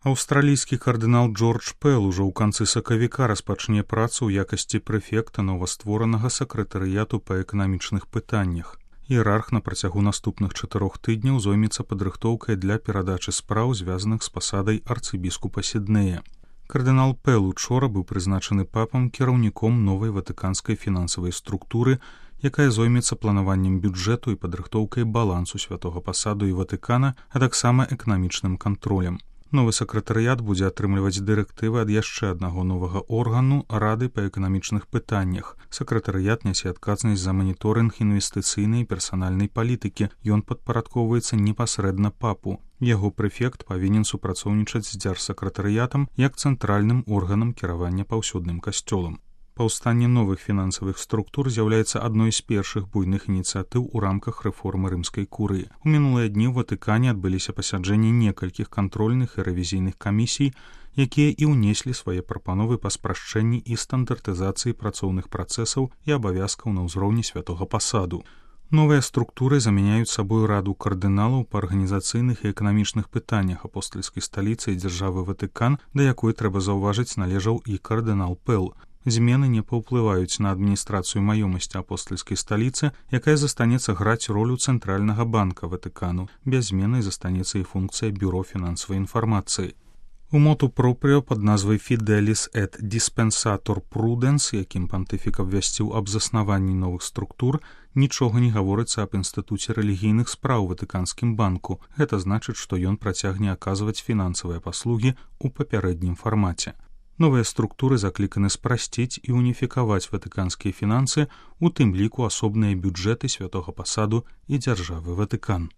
Аўстралійскі кардынал Джордж Пэл ужо ў канцы сакавіка распачне працу ў якасці прэфекта новастворанага сакратарыяту па эканамічных пытаннях. Іерарх на працягу наступных 4 тыдняў зоймецца падрыхтоўкай для перадачы спраў, звязаных з пасадай арцыбіскупа Сіднея. Кардынал Пэл учора быў прызначаны папам кіраўніком новай ватыканскай фінансавай структуры, якая зоймецца планаваннем бюджэту і падрыхтоўкай балансу святога пасаду і Ватыкана, а таксама эканамічным кантролем. Новы сакратарыят будзе атрымліваць дырэктывы ад яшчэ аднаго новага органу Рады па эканамічных пытаннях. Сакратарыят нясе адказнасць за маніторынг інвестыцыйнай і персанальнай палітыкі. Ён падпарадкоўваецца непасрэдна папу. Яго прэфект павінен супрацоўнічаць з дзяржсакратарыятам як цэнтральным органам кіравання паўсюдным касцёлам. Паўстанне новых фінансавых структур з'яўляецца адной з першых буйных ініцыятыў у рамках рэформы рымскай курыі. У мінулыя дні ў Ватыкане адбыліся пасяджэнні некалькіх кантрольных і рэвізійных камісій, якія і ўнеслі свае прапановы па спрашчэнні і стандартызацыі працоўных працэсаў і абавязкаў на ўзроўні святога пасаду. Новыя структуры замяняюць сабою раду кардыналаў па арганізацыйных і эканамічных пытаннях апостальскай сталіцы і дзяржавы Ватыкан, да якой, трэба заўважыць, належаў і кардынал Пэл. Змены не паўплываюць на адміністрацыю маёмасці апостальскай сталіцы, якая застанецца граць ролю цэнтральнага банка Ватыкану. Без змены застанецца і функцыя бюро фінансавай інфармацыі. У моту пропрыо пад назвай «Fidelis et dispensator prudens», якім пантыфік абвясціў аб заснаванні новых структур, нічога не гаворыцца аб інстытуце рэлігійных спраў Ватыканскім банку. Гэта значыць, што ён працягне аказваць фінансавыя паслугі ў папярэднім фармаце. Новыя структуры закліканы спрасціць і уніфікаваць ватыканскія фінансы, у тым ліку асобныя бюджэты святога пасаду і дзяржавы Ватыкан.